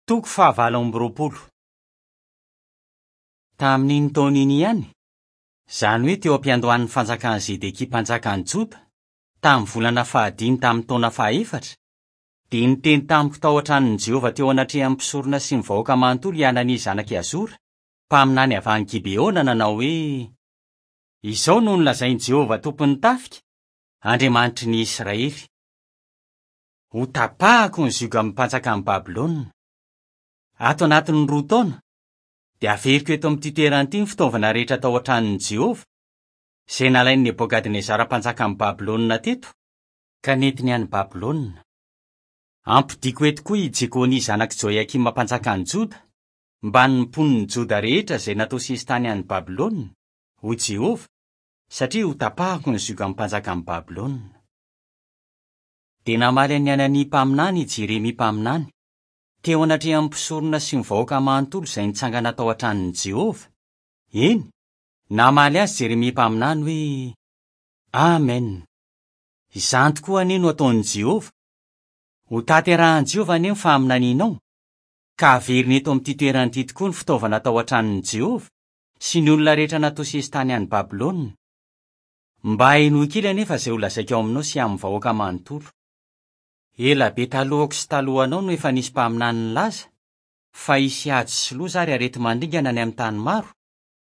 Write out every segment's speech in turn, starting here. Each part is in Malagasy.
Toko fahavalo amby roapolo. Tamin'iny taona iny ihany, izany hoe teo am-piandohan'ny fanjakan'i Zedekia mpanjakan'i Joda, tamin'ny volana fahadimy tamin'ny taona fahaefatra, dia niteny tamiko tao an-tranon'i Jehovah teo anatrehan'ny mpisorona sy ny vahoaka manontolo i Hanania zanak'i Azora, mpaminany avy any Gibeona, nanao hoe, Izao no nolazain'i Jehovah Tompon'ny tafika, Andriamanitry ny Israely, Hotapahako ny ziogan'ny mpanjakan'i Babylona. Ato anatin'ny roa taona, dia haveriko eto amin'ity toerana ity ny fitaovana rehetra tao an-tranon'i Jehovah, izay nalain'i Nebokadnezara mpanjakan'i Babylona teto, ka nentiny any Babylona. Hampodiako eto koa i Jekonia zanak'i Joiakima mpanjakan'i Joda, mbamin'ny mponin'i Joda rehetra izay natao sesitany any Babylona, hoy Jehovah, satria hotapahako ny ziogan'ny mpanjakan'i Babylona. Dia namaly an'i Hanania mpaminany i Jeremia mpaminany, teo anatrehan'ny mpisorona sy ny vahoaka manontolo izay nitsangana tao an-tranon'i Jehovah, eny, namaly azy Jeremia mpaminany hoe, Amen! Izany tokoa anie no hataon'i Jehovah! Hotanterahin'i Jehovah anie ny faminanianao, ka haveriny eto amin'ity toerana ity tokoa ny fitaovana tao an-tranon'i Jehovah sy ny olona rehetra natao sesitany any Babylona. Mba henoy kely anefa izay holazaiko aminao sy amin'ny vahoaka manontolo. Ela be talohako sy talohanao no efa nisy mpaminany nilaza fa hisy ady sy loza ary areti-mandringana any amin'ny tany maro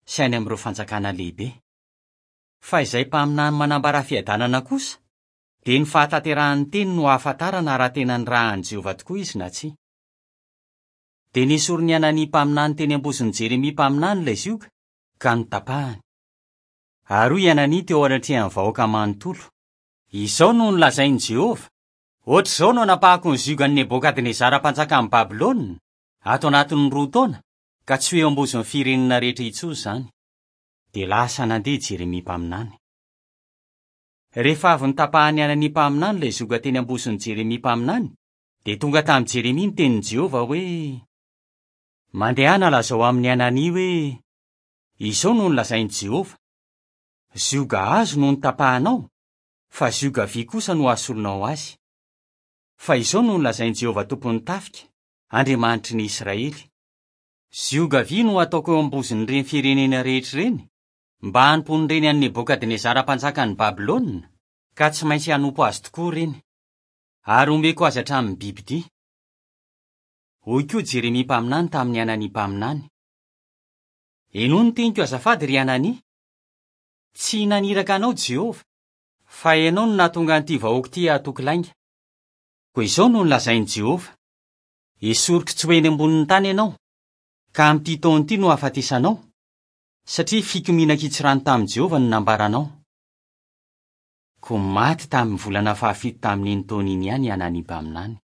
sy any amin'ireo fanjakana lehibe. Fa izay mpaminany manambara fiadanana kosa, dia ny fahatanterahan'ny teny no ahafantarana raha tena nirahan'i Jehovah tokoa izy na tsia. Dia nesorin'i Hanania mpaminany teny am-bozon'i Jeremia mpaminany ilay zioga, ka notapahany. Ary hoy i Hanania teo anatrehan'ny vahoaka manontolo, Izao no nolazain'i Jehovah, 'Hoatr'izao no hanapahako ny ziogan'i Nebokadnezara mpanjakan'i Babylona, ato anatin'ny roa taona, ka tsy ho eo am-bozon'ny firenena rehetra intsony izany. Dia lasa nandeha i Jeremia mpaminany. Rehefa avy notapahan'i Hanania mpaminany ilay zioga teny am-bozon'i Jeremia mpaminany, dia tonga tamin'i Jeremia ny tenin'i Jehovah hoe, Mandehana lazao amin'i Hanania hoe, Izao no nolazain'i Jehovah, 'Zioga hazo no notapahanao, fa zioga vy kosa no hasolonao azy. Fa izao no nolazain'i Jehovah Tompon'ny tafika, Andriamanitry ny Israely, 'Zioga vy no hataoko eo am-bozon'ireny firenena rehetra ireny, mba hanompoan'ireny an'i Nebokadnezara mpanjakan'i Babylona, ka tsy maintsy hanompo azy tokoa ireny. Ary homeko azy hatramin'ny bibidia. Hoy koa Jeremia mpaminany tamin'i Hanania mpaminany, Henoy ny teniko azafady ry Hanania. Tsy naniraka anao Jehovah, fa ianao no nahatonga an'ity vahoaka ity hahatoky lainga. Koa izao no nolazain'i Jehovah, 'Esoriko tsy ho eny ambonin'ny tany ianao, ka amin'ity taona ity no hahafatesanao, satria fikomiana an-kitsirano tamin'i Jehovah no nambaranao. Koa maty tamin'ny volana fahafito tamin'iny taona iny ihany i Hanania mpaminany.